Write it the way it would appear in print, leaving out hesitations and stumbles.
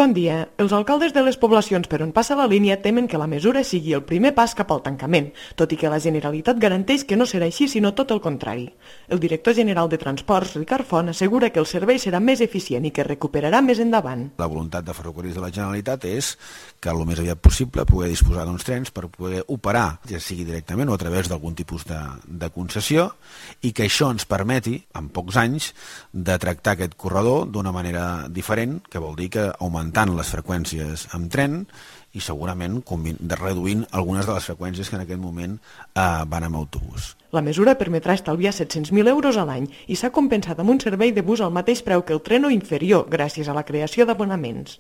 Bon dia. Els alcaldes de les poblacions per on passa la línia temen que la mesura sigui el primer pas cap al tancament, tot i que la Generalitat garanteix que no serà així, sinó tot el contrari. El director general de Transports, Ricard Font, assegura que el servei serà més eficient i que es recuperarà més endavant. La voluntat de Ferrocarrils de la Generalitat és que el més aviat possible poder disposar d'uns trens per poder operar, ja sigui directament o a través d'algun tipus de concessió, i que això ens permeti, en pocs anys, de tractar aquest corredor d'una manera diferent, que vol dir que augmentant les freqüències amb tren i segurament reduint algunes de les freqüències que en aquest moment van amb autobús. La mesura permetrà estalviar 700.000 euros a l'any i s'ha compensat amb un servei de bus al mateix preu que el tren o inferior gràcies a la creació d'abonaments.